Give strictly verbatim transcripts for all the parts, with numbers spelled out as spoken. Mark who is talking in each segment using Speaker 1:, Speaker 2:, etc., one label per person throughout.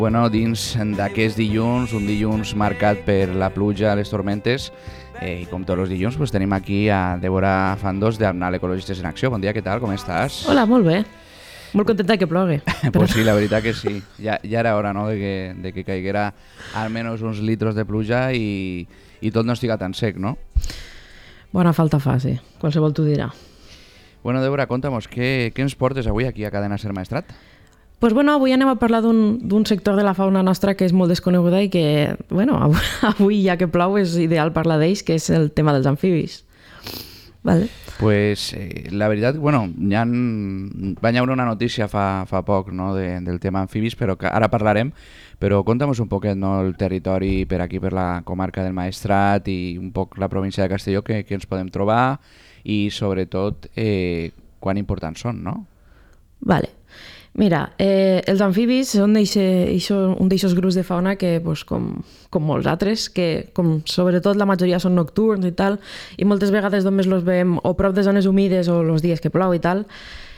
Speaker 1: bueno, dins d'aquest dilluns, un dilluns marcat per la pluja, les tormentes, eh, i com tots els dilluns pues, tenim aquí a Débora Fandos d'Arnal Ecologistes en Acció. Bon dia, què tal? Com estàs?
Speaker 2: Hola, molt bé. Molt contenta que plogui.
Speaker 1: Pues sí, la veritat que sí. Ja, ja era hora, no?, de que, de que caiguera almenys uns litros de pluja i, i tot no estiga tan sec, no?
Speaker 2: Bona falta fa, sí. Qualsevol t'ho dirà.
Speaker 1: Bueno, Débora, conta'm-nos, què, què ens portes avui aquí a Cadena Ser Maestrat?
Speaker 2: Pues bueno, avui anem a parlar d'un sector de la fauna nostra que és molt desconeguda i que, bueno, avui, avui ja que plou és ideal parlar d'ells, que és el tema dels amfibis. Vale.
Speaker 1: Pues eh, la veritat, bueno, ja en... va haver una notícia fa, fa poc, no?, de, del tema amfibis, però que ara parlarem, però conta'm un poquet, no?, el territori per aquí, per la comarca del Maestrat i un poc la província de Castelló, que, que ens podem trobar i sobretot eh, quan importants són, no?
Speaker 2: Vale. Mira, eh, els amfibis són un d'aixòs grups de fauna que, pues, com, com molts altres, que com sobretot la majoria són nocturns i tal, i moltes vegades només els veiem o prop de zones humides o els dies que plou i tal,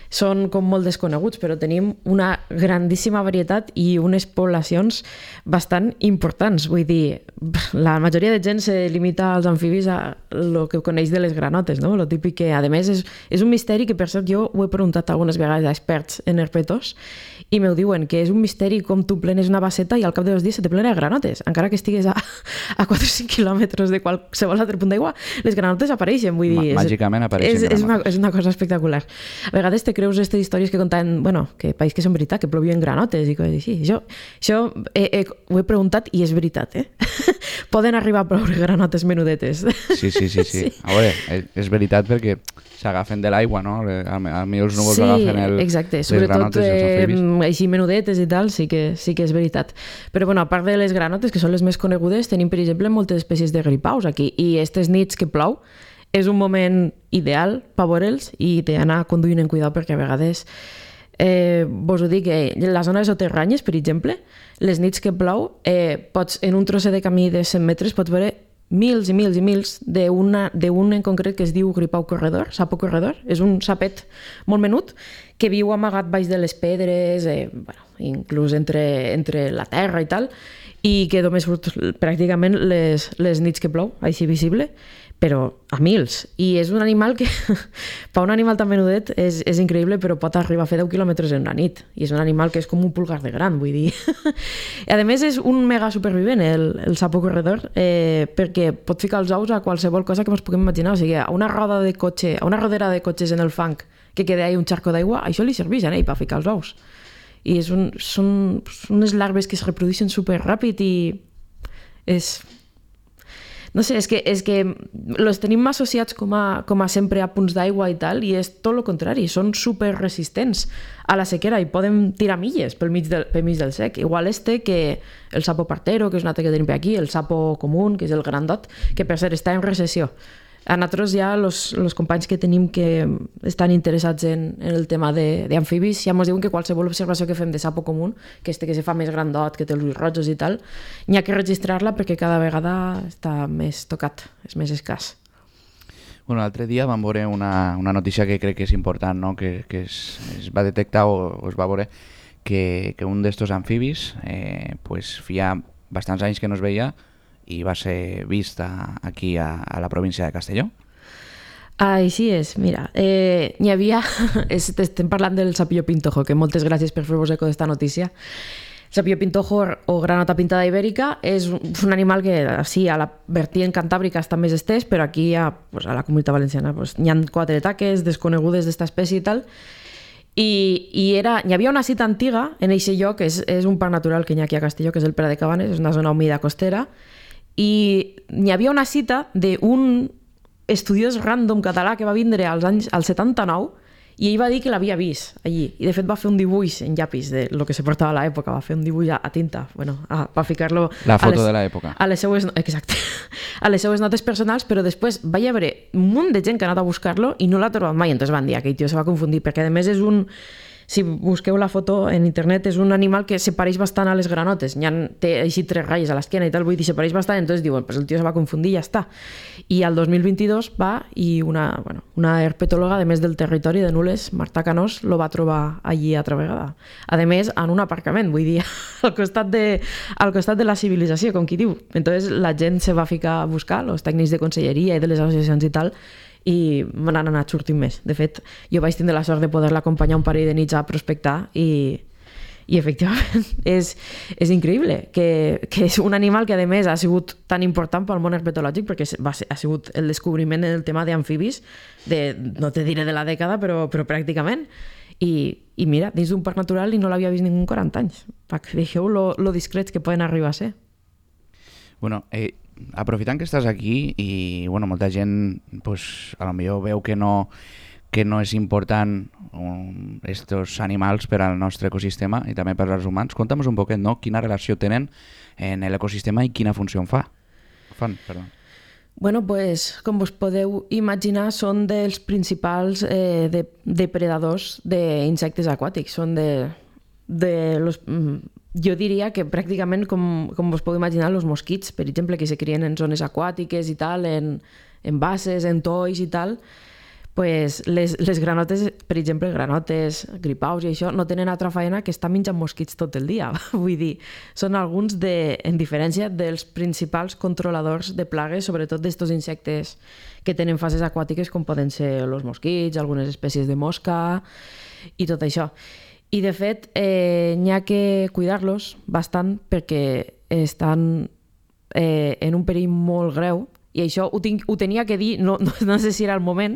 Speaker 2: són com molt desconeguts, però tenim una grandíssima varietat i unes poblacions bastant importants. Vull dir, la majoria de gent se limita als amfibis a el que coneix de les granotes, no? Lo típic que, a més, és, és un misteri que, per cert, jo ho he preguntat algunes vegades a experts en herpetos i m'ho diuen, que és un misteri com tu plenes una basseta i al cap de dos dies se te plena de granotes. Encara que estigues a, a quatre o cinc quilòmetres de qualsevol altre punt d'aigua, les granotes apareixen. Vull dir,
Speaker 1: màgicament apareixen.
Speaker 2: És, és, una, és una cosa espectacular. A vegades te creus aquestes històries que contaven, bueno, que país que són veritat, que plovien granotes i coses així. Jo, això he, he, ho he preguntat i és veritat, eh? Poden arribar a ploure granotes menudetes.
Speaker 1: Sí, sí, sí, sí. sí. A veure, és, és veritat perquè s'agafen de l'aigua, no? A mi els núvols
Speaker 2: sí,
Speaker 1: agafen el,
Speaker 2: exacte.
Speaker 1: les
Speaker 2: Sobretot,
Speaker 1: granotes i els amfibis.
Speaker 2: Eh, així menudetes i tal, sí que, sí que és veritat. Però bueno, a part de les granotes, que són les més conegudes, tenim, per exemple, moltes espècies de gripaus aquí. I aquestes nits que plou és un moment ideal per veure'ls i d'anar conduint en cuidado perquè a vegades, eh, vos ho dic, eh, la zona de soterranyes, per exemple, les nits que plou, eh, pots, en un trosset de camí de cent metres pots veure mils i mils i mils d'un en concret que es diu gripau corredor, sapo corredor. És un sapet molt menut que viu amagat baix de les pedres, eh, bueno, inclús entre, entre la terra i tal, i que només surt pràcticament les, les nits que plou, així visible, però a mils. I és un animal que, per un animal tan menudet, és, és increïble, però pot arribar a fer deu quilòmetres en una nit. I és un animal que és com un pulgar de gran, vull dir. I a més és un mega supervivent, el, el sapo corredor, eh, perquè pot ficar els ous a qualsevol cosa que ens puguem imaginar. O sigui, a una roda de cotxe, a una rodera de cotxes en el fang que queda ahí un xarco d'aigua, això li serveix a ell per ficar els ous. I és un, són, són unes larves que es reprodueixen superràpid i és... No sé, és que, és que els tenim associats com a, com a sempre a punts d'aigua i tal, i és tot el contrari, són super resistents a la sequera i poden tirar milles pel mig del, pel mig del sec. Igual este que el sapo partero, que és un altre que tenim per aquí, el sapo comú, que és el grandot, que per cert està en recessió. A nosaltres ja els companys que tenim que estan interessats en, en el tema d'amfibis ja ens diuen que qualsevol observació que fem de sapo comú, que este que se fa més grandot, que té els ulls rojos i tal, n'hi ha que registrar-la perquè cada vegada està més tocat, és més escàs.
Speaker 1: Bueno, l'altre dia vam veure una, una notícia que crec que és important, no? que, que es, es va detectar o, o es va veure que, que un d'estos amfibis eh, pues, feia bastants anys que no es veia i va ser vista aquí a, a la província de Castelló.
Speaker 2: Així és, mira, eh, n'hi havia, estem parlant del sapillo pintojo, que moltes gràcies per fer-vos eco d'esta notícia. El sapillo pintojo o granota pintada ibèrica és un animal que, sí, a la vertiente cantàbrica està més estès, però aquí a, pues, a la Comunitat Valenciana pues, n'hi ha quatre taques desconegudes d'esta espècie i tal, i, i era, hi havia una cita antiga en aquest lloc, és, és un parc natural que hi ha aquí a Castelló, que és el Pla de Cabanes, és una zona humida costera, i hi havia una cita d'un estudiós random català que va vindre als anys al setanta-nou i ell va dir que l'havia vist allí. I de fet va fer un dibuix en llapis de lo que se portava a l'època, va fer un dibuix a, a tinta, bueno, a, va ficar-lo...
Speaker 1: La foto les, de l'època.
Speaker 2: A les seues, exacte, a les seues notes personals, però després va haver un munt de gent que ha anat a buscar-lo i no l'ha trobat mai, entonces van dir que aquell tio se va confundir, perquè a més és un... si busqueu la foto en internet, és un animal que se pareix bastant a les granotes. Ja té així tres ratlles a l'esquena i tal, vull dir, se pareix bastant, entonces diuen, pues el tio se va confundir i ja està. I al dos mil vint-i-dos va i una, bueno, una herpetòloga, a més del territori de Nules, Marta Canós, lo va trobar allí altra vegada. A més, en un aparcament, vull dir, al costat de, al costat de la civilització, com qui diu. Entonces la gent se va ficar a buscar, els tècnics de conselleria i de les associacions i tal, i me n'han anat sortint més. De fet, jo vaig tindre la sort de poder-la acompanyar un parell de nits a prospectar i, i efectivament és, és increïble que, que és un animal que a més ha sigut tan important pel món herpetològic perquè va ser, ha sigut el descobriment del tema d'amfibis de, no te diré de la dècada, però, però pràcticament. I, i mira, dins d'un parc natural i no l'havia vist ningú en quaranta anys. Veieu lo, lo discrets que poden arribar a ser.
Speaker 1: Bueno, eh, aprofitant que estàs aquí i bueno, molta gent pues, a lo millor veu que no, que no és important um, estos animals per al nostre ecosistema i també per als humans, conta'm un poquet, no? Quina relació tenen en l'ecosistema i quina funció fa. fan. Perdó.
Speaker 2: Bueno, pues, com us podeu imaginar, són dels principals eh, de, depredadors d'insectes aquàtics. Són de, de los, jo diria que pràcticament, com, com us podeu imaginar, els mosquits, per exemple, que se crien en zones aquàtiques i tal, en, en basses, en tois i tal, pues les, les granotes, per exemple, granotes, gripaus i això, no tenen altra feina que estar menjant mosquits tot el dia. Vull dir, són alguns, de, en diferència dels principals controladors de plagues, sobretot d'estos insectes que tenen fases aquàtiques, com poden ser els mosquits, algunes espècies de mosca i tot això. I, de fet, eh, n'hi ha que cuidar-los bastant perquè estan eh, en un perill molt greu. I això ho, tinc, ho tenia que dir, no, no, no sé si era el moment,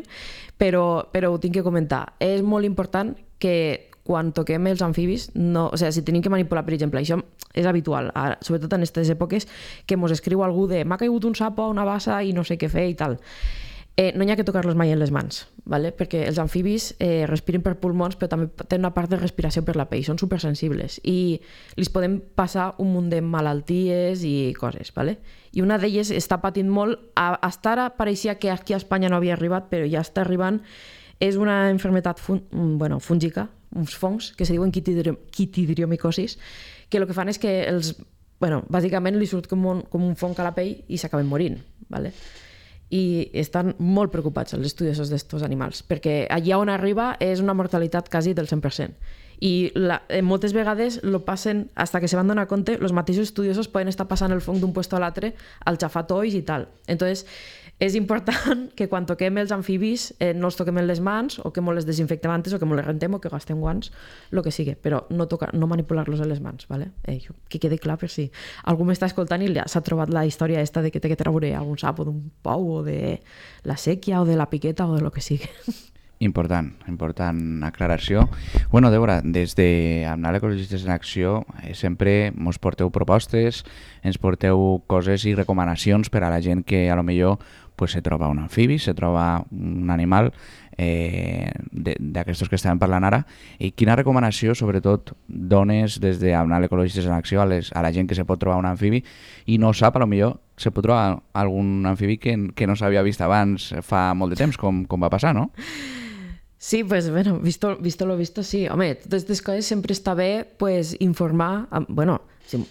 Speaker 2: però, però ho tinc que comentar. És molt important que quan toquem els amfibis, no, o sigui, si tenim que manipular, per exemple, això és habitual, ara, sobretot en aquestes èpoques, que mos escriu algú de m'ha caigut un sapo a una bassa i no sé què fer i tal. Eh, no hi ha que tocar-los mai en les mans, ¿vale? Perquè els amfibis eh, respiren per pulmons, però també tenen una part de respiració per la pell, són supersensibles i els podem passar un munt de malalties i coses, ¿vale? I una d'elles està patint molt, hasta ara pareixia que aquí a Espanya no havia arribat, però ja està arribant, és una enfermetat fun bueno, fúngica, uns fongs que se diuen quitidriomicosis, que el que fan és que els, bueno, bàsicament li surt com un, com un fong a la pell i s'acaben morint, ¿vale? I estan molt preocupats els estudiosos d'estos animals, perquè allà on arriba és una mortalitat quasi del cent per cent. I la, moltes vegades lo passen, hasta que se van donar compte, els mateixos estudiosos poden estar passant el fong d'un puesto a l'altre al xafar tois i tal. Entonces, és important que quan toquem els amfibis eh, no els toquem en les mans o que molt les desinfectem antes o que molt les rentem o que gastem guants, el que sigui, però no, tocar, no manipular-los en les mans, ¿vale? Eh, que quedi clar per si algú m'està escoltant i s'ha trobat la història esta de que té que treure algun sapo d'un pou o de la sèquia o de la piqueta o de lo que sigui.
Speaker 1: Important, important aclaració. Bueno, Débora, des de Amnal Ecologistes en Acció eh, sempre mos porteu propostes, ens porteu coses i recomanacions per a la gent que a lo millor pues, se troba un amfibi, se troba un animal eh, d'aquestos que estàvem parlant ara. I quina recomanació, sobretot, dones des de Amnal Ecologistes en Acció a, les, a la gent que se pot trobar un amfibi i no sap, a lo millor se pot trobar algun amfibi que, que no s'havia vist abans fa molt de temps, com, com va passar, no?
Speaker 2: Sí, pues bueno, visto, visto lo visto, sí. Home, totes aquestes coses sempre està bé pues, informar, bueno, si,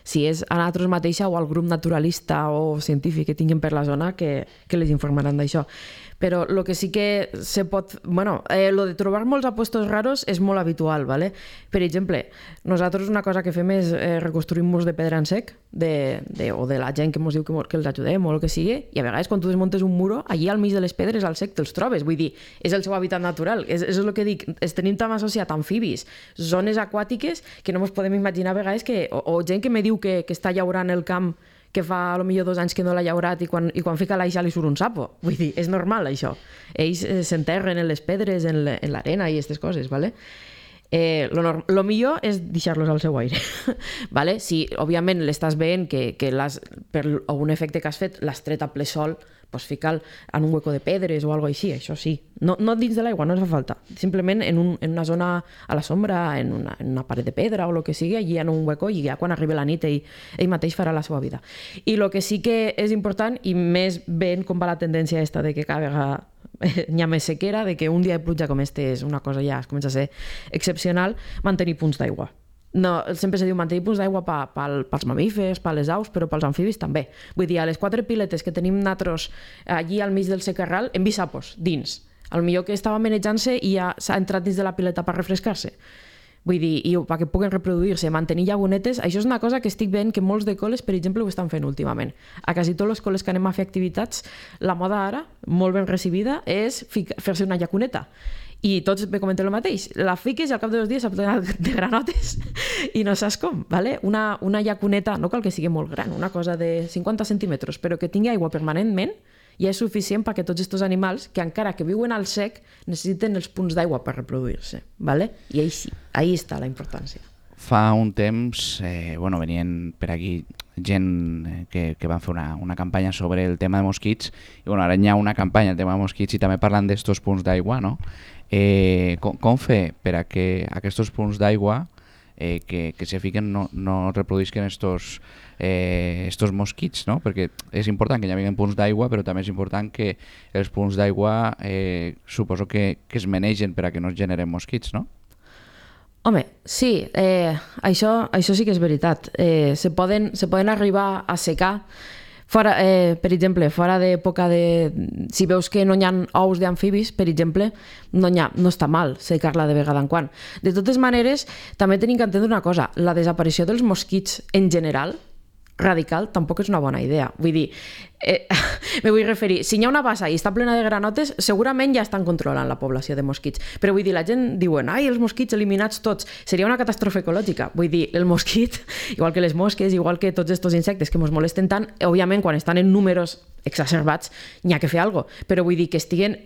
Speaker 2: si és a nosaltres mateixa o al grup naturalista o científic que tinguin per la zona que, que les informaran d'això. Però el que sí que se pot... Bueno, eh, lo de trobar molts apuestos raros és molt habitual, ¿vale? Per exemple, nosaltres una cosa que fem és eh, reconstruir murs de pedra en sec de, de, o de la gent que ens diu que, que els ajudem o el que sigui, i a vegades quan tu desmuntes un muro, allí al mig de les pedres al sec te'ls trobes, vull dir, és el seu hàbitat natural, és, és el que dic, es tenim tan associat amfibis, zones aquàtiques, que no ens podem imaginar a vegades que... O, o gent que me diu que, que està llaurant el camp que fa a lo millor dos anys que no l'ha llaurat i quan, i quan fica l'aixa li surt un sapo. Vull dir, és normal això. Ells eh, s'enterren en les pedres, en l'arena i aquestes coses, ¿vale? Eh, lo, norm... lo millor és deixar-los al seu aire. ¿Vale? Si, òbviament, l'estàs veient que, que per un efecte que has fet l'has tret a ple sol, pues fica'l en un hueco de pedres o algo així, això sí. No, no dins de l'aigua, no ens fa falta. Simplement en, un, en una zona a la sombra, en una, en una paret de pedra o el que sigui, allí en un hueco i ja quan arribi la nit ell, ell mateix farà la seva vida. I el que sí que és important, i més ben com va la tendència esta de que cada vegada n'hi ha més sequera, de que un dia de pluja com este és una cosa ja, es comença a ser excepcional, mantenir punts d'aigua. No, sempre se diu mantenir punts d'aigua pa, pa, pels mamífers, per les aus, però pels amfibis també. Vull dir, a les quatre piletes que tenim nosaltres allí al mig del secarral, hem vist sapos dins. Al millor que estava manejant-se i ja s'ha entrat dins de la pileta per refrescar-se. Vull dir, i perquè puguen reproduir-se, mantenir llagunetes, això és una cosa que estic veient que molts de col·les, per exemple, ho estan fent últimament. A quasi tots els col·les que anem a fer activitats, la moda ara, molt ben recibida, és fer-se una llaguneta. I tots me comenten el mateix. La fiques i al cap de dos dies s'ha plenat de granotes i no saps com, ¿vale? Una, una llacuneta, no cal que sigui molt gran, una cosa de cinquanta centímetres, però que tingui aigua permanentment, ja és suficient perquè tots aquests animals, que encara que viuen al sec, necessiten els punts d'aigua per reproduir-se, ¿vale? I ahí sí, ahí està la importància.
Speaker 1: Fa un temps, eh, bueno, venien per aquí gent que, que van fer una, una campanya sobre el tema de mosquits, i bueno, ara hi ha una campanya del tema de mosquits i també parlant d'estos punts d'aigua, no? Eh, com, com fer per a que aquests punts d'aigua eh, que, que se fiquen no, no reproduïsquen estos, eh, estos mosquits, no? Perquè és important que hi hagi punts d'aigua, però també és important que els punts d'aigua eh, suposo que, que es manegen per a que no es generen mosquits, no?
Speaker 2: Home, sí, eh, això, això sí que és veritat. Eh, se, poden, se poden arribar a secar. Fora, eh, per exemple, fora d'època de... Si veus que no hi ha ous d'amfibis, per exemple, no, ha, no està mal secar-la de vegada en quan. De totes maneres, també tenim que entendre una cosa. La desaparició dels mosquits en general, radical, tampoc és una bona idea. Vull dir, eh, me vull referir, si hi ha una bassa i està plena de granotes, segurament ja estan controlant la població de mosquits. Però vull dir, la gent diuen, ai, els mosquits eliminats tots, seria una catàstrofe ecològica. Vull dir, el mosquit, igual que les mosques, igual que tots aquests insectes que ens molesten tant, òbviament, quan estan en números exacerbats, n'hi ha que fer alguna cosa. Però vull dir que estiguen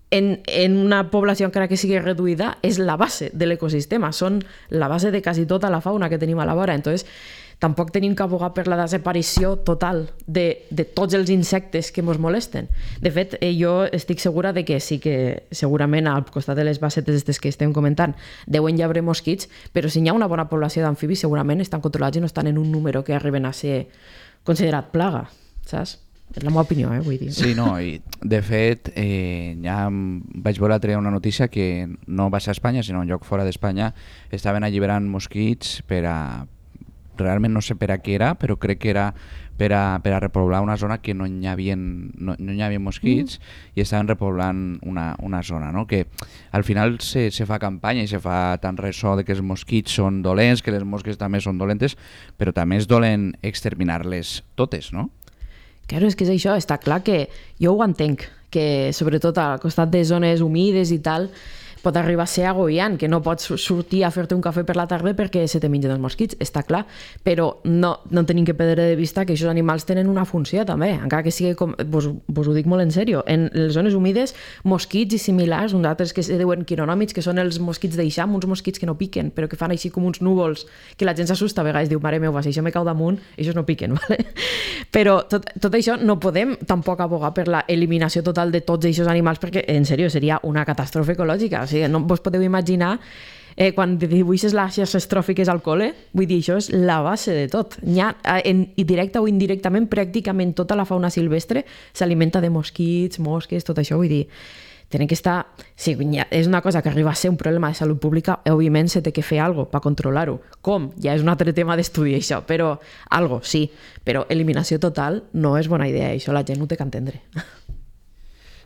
Speaker 2: en, en una població encara que sigui reduïda, és la base de l'ecosistema, són la base de quasi tota la fauna que tenim a la vora. Entonces, tampoc tenim que abogar per la desaparició total de, de tots els insectes que ens molesten. De fet, eh, jo estic segura de que sí que segurament al costat de les bassetes que estem comentant deuen hi haver mosquits, però si hi ha una bona població d'amfibis segurament estan controlats i no estan en un número que arriben a ser considerat plaga, saps? És la meva opinió, eh, vull dir.
Speaker 1: Sí, no, i de fet eh, ja vaig veure l'altre dia una notícia que no va ser a Espanya, sinó en lloc fora d'Espanya, estaven alliberant mosquits per a realment no sé per a què era, però crec que era per a, per a repoblar una zona que no hi havia, no, no hi havia mosquits mm. i estaven repoblant una, una zona, no? Que al final se, se fa campanya i se fa tant ressò de que els mosquits són dolents, que les mosques també són dolentes, però també és dolent exterminar-les totes, no?
Speaker 2: Claro, és que és això, està clar que jo ho entenc, que sobretot al costat de zones humides i tal, pot arribar a ser agobiant, que no pots sortir a fer-te un cafè per la tarda perquè se te mengen els mosquits, està clar, però no, no tenim que perdre de vista que aquests animals tenen una funció també, encara que sigui, com, vos, vos ho dic molt en sèrio, en les zones humides, mosquits i similars, uns altres que se diuen quironòmids, que són els mosquits d'eixam, uns mosquits que no piquen, però que fan així com uns núvols, que la gent s'assusta a vegades, diu, mare meva, si això me cau damunt, això no piquen, ¿vale? Però tot, tot això no podem tampoc abogar per la eliminació total de tots aquests animals, perquè, en sèrio, seria una catàstrofe ecològica. O sigui, no vos podeu imaginar eh, quan dibuixes les xarxes tròfiques al col·le, vull dir, això és la base de tot. Hi ha, en, directa o indirectament, pràcticament tota la fauna silvestre s'alimenta de mosquits, mosques, tot això, vull dir, tenen que estar... Sí, és una cosa que arriba a ser un problema de salut pública, òbviament se té que fer alguna cosa per controlar-ho. Com? Ja és un altre tema d'estudi, això, però algo, sí. Però eliminació total no és bona idea, això la gent ho té que entendre.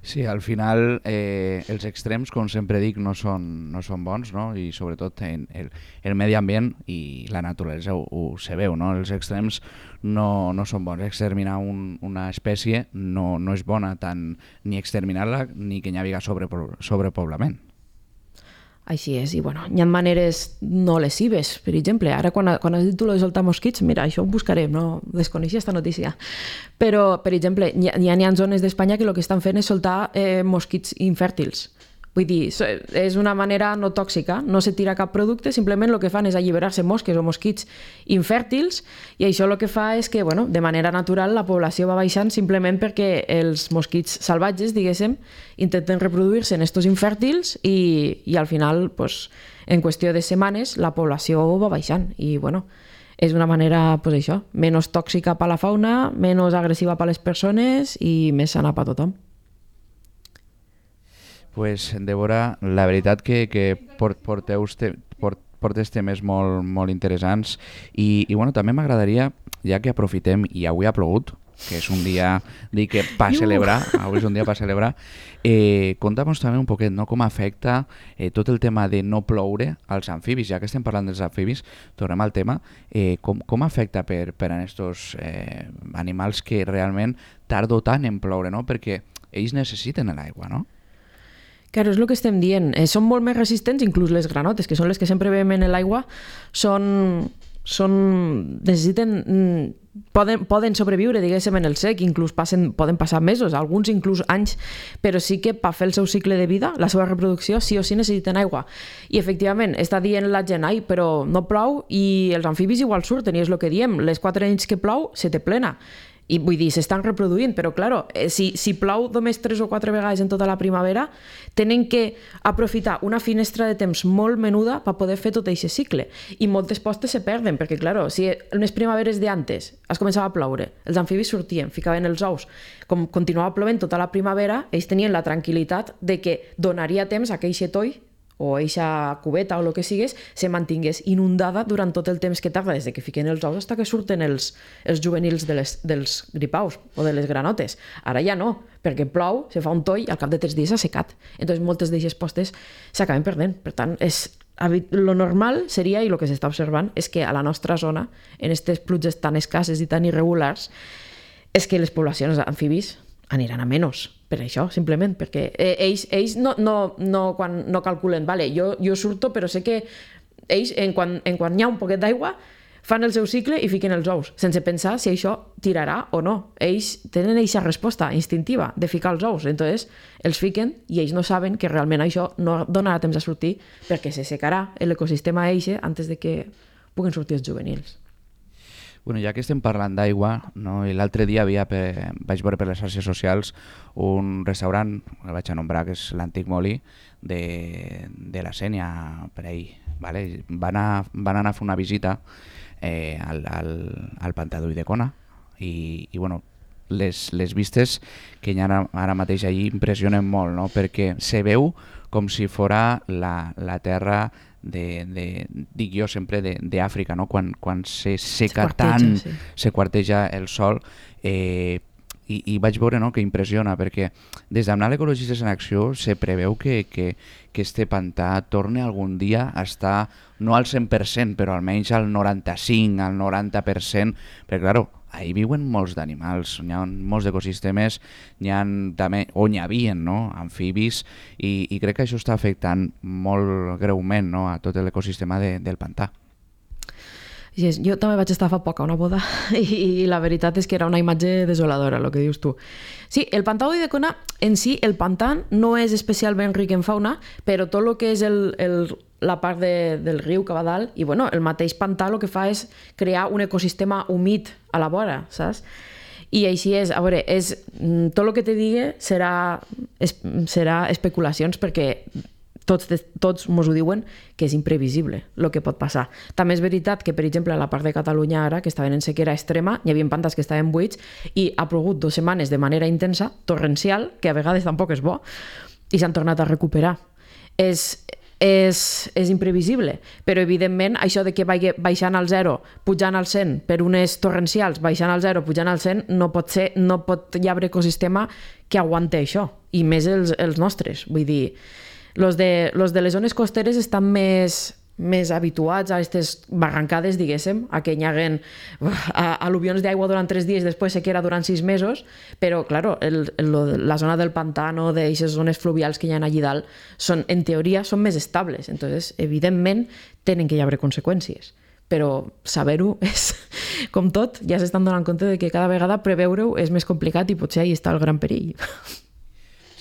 Speaker 1: Sí, al final eh, els extrems, com sempre dic, no són, no són bons, no? I sobretot en el, el medi ambient i la naturalesa ho, ho se veu, no? Els extrems no, no són bons. Exterminar un, una espècie no, no és bona tant ni exterminar-la ni que hi hagi sobre, sobrepoblament.
Speaker 2: Així és, i bueno, hi ha maneres no lesives, per exemple, ara quan, quan has dit tu lo de soltar mosquits, mira, això ho buscarem, no desconeixia aquesta notícia, però, per exemple, hi ha, hi ha zones d'Espanya que el que estan fent és soltar eh, mosquits infèrtils. Vull dir, és una manera no tòxica, no se tira cap producte, simplement el que fan és alliberar-se mosques o mosquits infèrtils i això el que fa és que, bueno, de manera natural la població va baixant simplement perquè els mosquits salvatges, diguéssim, intenten reproduir-se en estos infèrtils i, i al final, pues, en qüestió de setmanes, la població va baixant i, bueno, és una manera, pues això, menys tòxica per la fauna, menys agressiva per les persones i més sana per tothom.
Speaker 1: Pues, Débora, la veritat que, que port, porteu te, port, portes temes molt, molt interessants i, i bueno, també m'agradaria, ja que aprofitem i avui ha plogut, que és un dia dic que per celebrar, avui és un dia per celebrar, eh, conta'm també un poquet no, com afecta eh, tot el tema de no ploure als amfibis, ja que estem parlant dels amfibis, tornem al tema, eh, com, com afecta per, per a aquests eh, animals que realment tardo tant en ploure, no? Perquè ells necessiten l'aigua, no?
Speaker 2: Claro, és el que estem dient. Eh, són molt més resistents, inclús les granotes, que són les que sempre veiem en l'aigua, són, són, necessiten, poden, poden sobreviure, diguéssim, en el sec, inclús passen, poden passar mesos, alguns inclús anys, però sí que per fer el seu cicle de vida, la seva reproducció, sí o sí necessiten aigua. I efectivament, està dient la gent, ai, però no plou i els amfibis igual surten, i és el que diem, les quatre nits que plou se té plena. I vull dir, s'estan reproduint, però claro, si, si plou només tres o quatre vegades en tota la primavera, tenen que aprofitar una finestra de temps molt menuda per poder fer tot aquest cicle. I moltes postes se perden, perquè claro, si en les primaveres d'antes es començava a ploure, els amfibis sortien, ficaven els ous, com continuava plovent tota la primavera, ells tenien la tranquil·litat de que donaria temps a que aquest toll o eixa cubeta o el que sigués, se mantingués inundada durant tot el temps que tarda, des de que fiquen els ous fins que surten els, els juvenils de les, dels gripaus o de les granotes. Ara ja no, perquè plou, se fa un toll i al cap de tres dies s'ha secat. Entonces moltes d'aquestes postes s'acaben perdent. Per tant, és, lo normal seria, i el que s'està observant, és que a la nostra zona, en aquestes pluges tan escasses i tan irregulars, és que les poblacions d'amfibis aniran a menys, per això, simplement, perquè eh, ells, ells no, no, no, quan no calculen, vale, jo, jo surto, però sé que ells, en quan, en quan hi ha un poquet d'aigua, fan el seu cicle i fiquen els ous, sense pensar si això tirarà o no. Ells tenen aquesta resposta instintiva de ficar els ous, entonces els fiquen i ells no saben que realment això no donarà temps a sortir perquè se secarà l'ecosistema eixe antes de que puguen sortir els juvenils.
Speaker 1: Bueno, ja que estem parlant d'aigua, no? I l'altre dia havia per, vaig veure per les xarxes socials un restaurant, el vaig anombrar, que és l'Antic Molí, de, de la Sénia, per ahí. Vale? Van, anar, van anar a fer una visita eh, al, al, al Pantà d'Ulldecona i, i bueno, les, les vistes que hi ha ara, ara mateix allí impressionen molt, no? Perquè se veu com si fora la, la terra de, de, dic jo sempre d'Àfrica, no? Quan, quan se seca se tant, sí. Se quarteja el sol, eh, i, i vaig veure, no?, que impressiona, perquè des d'Amnal Ecologistes en Acció se preveu que, que, que este pantà torni algun dia a estar, no al cent per cent, però almenys al noranta-cinc, al noranta per cent, perquè, clar, ahí viuen molts d'animals, hi ha molts ecosistemes, hi ha també, o n'hi havia, no?, amfibis, i, i crec que això està afectant molt greument, no?, a tot l'ecosistema de, del pantà.
Speaker 2: Sí, jo també vaig estar fa poc a una boda i, i la veritat és que era una imatge desoladora, el que dius tu. Sí, el pantà d'Ulldecona en si, el pantà no és especialment ric en fauna, però tot el que és el, el, la part de, del riu que va dalt, i bueno, el mateix pantà el que fa és crear un ecosistema humit a la vora, saps? I així és, a veure, és, tot el que te digui serà, es, serà especulacions perquè tots, tots mos ho diuen que és imprevisible el que pot passar. També és veritat que, per exemple, a la part de Catalunya ara, que estaven en sequera extrema, hi havia pantans que estaven buits i ha plogut dues setmanes de manera intensa, torrencial, que a vegades tampoc és bo, i s'han tornat a recuperar. És, és, és imprevisible, però evidentment això de que vagi baixant al zero, pujant al cent per unes torrencials, baixant al zero, pujant al cent, no pot ser, no pot hi haver ecosistema que aguante això, i més els, els nostres, vull dir, los de, los de les zones costeres estan més, més habituats a aquestes barrancades, diguéssim, a que hi haguen al·luvions d'aigua durant tres dies, després sequera durant sis mesos, però, clar, el, el, la zona del pantano, d'aquestes zones fluvials que hi ha allí dalt, són, en teoria, són més estables. Entonces, evidentment, tenen que hi haver conseqüències. Però saber-ho és, com tot, ja s'estan donant compte de que cada vegada preveure-ho és més complicat i potser ahí està el gran perill.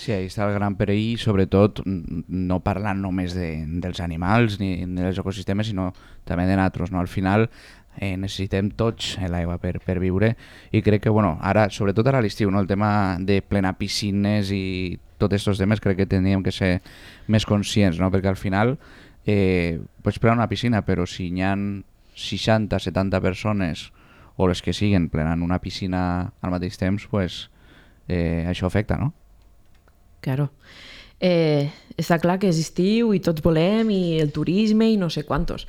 Speaker 1: Sí, ahí està el gran perill, sobretot no parlant només de, dels animals ni dels ecosistemes, sinó també de nosaltres, no? Al final eh, necessitem tots l'aigua per, per viure i crec que, bueno, ara, sobretot ara a l'estiu, no? El tema de plenar piscines i tots aquests temes crec que tindríem que ser més conscients, no? Perquè al final eh, pots plenar una piscina, però si hi ha seixanta setanta persones o les que siguen plenant una piscina al mateix temps, pues, eh, això afecta, no?
Speaker 2: Claro. Eh, està clar que és estiu i tots volem i el turisme i no sé quantos.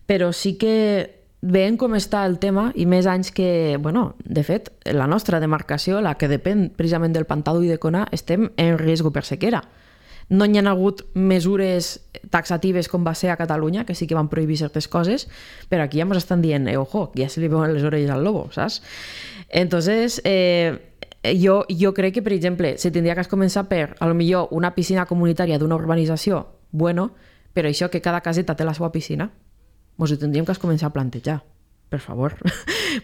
Speaker 2: Però sí que veient com està el tema i més anys que, bueno, de fet, la nostra demarcació, la que depèn precisament del pantà d'Ull de Cona, estem en risc per sequera. No hi ha hagut mesures taxatives com va ser a Catalunya, que sí que van prohibir certes coses, però aquí ja ens estan dient, eh, ojo, que ja se li veuen les orelles al lobo, saps? Entonces, eh, jo, jo crec que, per exemple, se tindria que començar per, a lo millor, una piscina comunitària d'una urbanització, bueno, però això que cada caseta té la seva piscina, ens ho tindríem que començar a plantejar, per favor.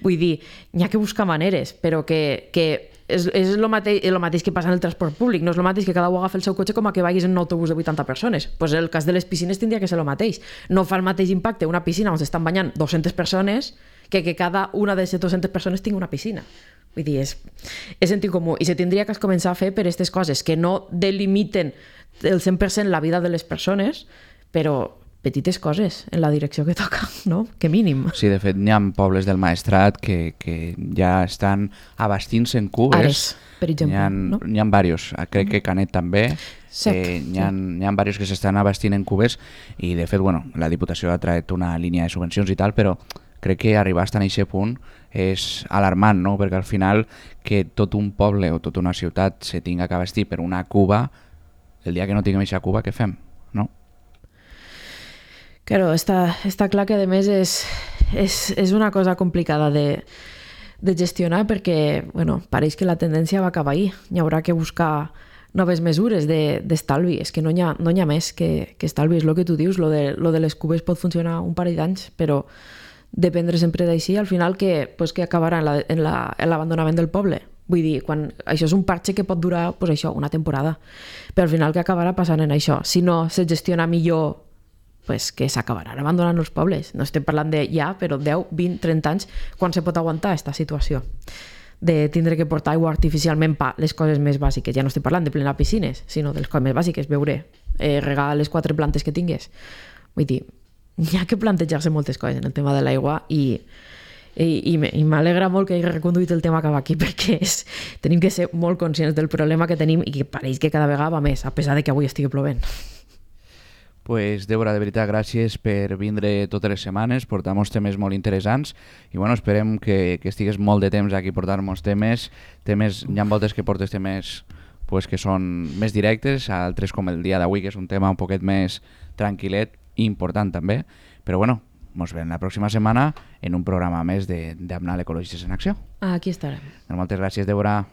Speaker 2: Vull dir, n'hi ha que buscar maneres, però que, que és, és el, mateix, el mateix que passa en el transport públic, no és el mateix que cada un agafi el seu cotxe com a que vagis en un autobús de vuitanta persones. Pues el cas de les piscines tindria que ser el mateix. No fa el mateix impacte una piscina on s'estan banyant dues-centes persones que que cada una de les dues-centes persones tingui una piscina. Vull dir, és, és sentit comú. I se tindria que començar a fer per aquestes coses que no delimiten el cent per cent la vida de les persones, però petites coses en la direcció que toca, no? Que mínim.
Speaker 1: Sí, de fet, hi ha pobles del Maestrat que, que ja estan abastint-se en cubes.
Speaker 2: Ares, per exemple.
Speaker 1: N'hi ha,
Speaker 2: no?
Speaker 1: n'hi ha diversos. Crec que Canet també.
Speaker 2: Sec,
Speaker 1: eh, n'hi ha,
Speaker 2: sí.
Speaker 1: n'hi ha diversos que s'estan abastint en cubes i, de fet, bueno, la Diputació ha tret una línia de subvencions i tal, però crec que arribar a aquest punt és alarmant, no? Perquè al final que tot un poble o tota una ciutat se tinga que abastir per una cuba, el dia que no tinguem aquesta cuba, què fem? No?
Speaker 2: Claro, està, està clar que a més és, és, és una cosa complicada de, de gestionar perquè, bueno, pareix que la tendència va cap ahí. Hi haurà que buscar noves mesures d'estalvi. De, és que no hi ha, no hi ha més que, que estalvi. És el que tu dius, lo de, lo de les cubes pot funcionar un parell d'anys, però dependre sempre d'així, al final que, pues, que acabarà en l'abandonament la, en la, en del poble. Vull dir, quan, això és un parche que pot durar pues, això, una temporada, però al final que acabarà passant en això. Si no se gestiona millor, pues que s'acabaran abandonant els pobles. No estem parlant de ja, però deu, vint, trenta anys, quan se pot aguantar aquesta situació de tindre que portar aigua artificialment per les coses més bàsiques. Ja no estic parlant de plenar piscines, sinó de les coses més bàsiques, beure, eh, regar les quatre plantes que tingues. Vull dir, hi ha que plantejar-se moltes coses en el tema de l'aigua i, i, i, i m'alegra molt que hagi reconduït el tema cap aquí perquè és, tenim que ser molt conscients del problema que tenim i que pareix que cada vegada va més, a pesar de que avui estigui plovent.
Speaker 1: Pues, Débora, de veritat, gràcies per vindre totes les setmanes, portar molts temes molt interessants i bueno, esperem que, que estigues molt de temps aquí portar molts temes. temes hi ha voltes que portes temes pues, que són més directes, altres com el dia d'avui, que és un tema un poquet més tranquil·let i important també, però bueno, ens veiem la pròxima setmana en un programa més d'Amnal Ecologistes en Acció.
Speaker 2: Aquí estarem.
Speaker 1: Moltes gràcies, Débora.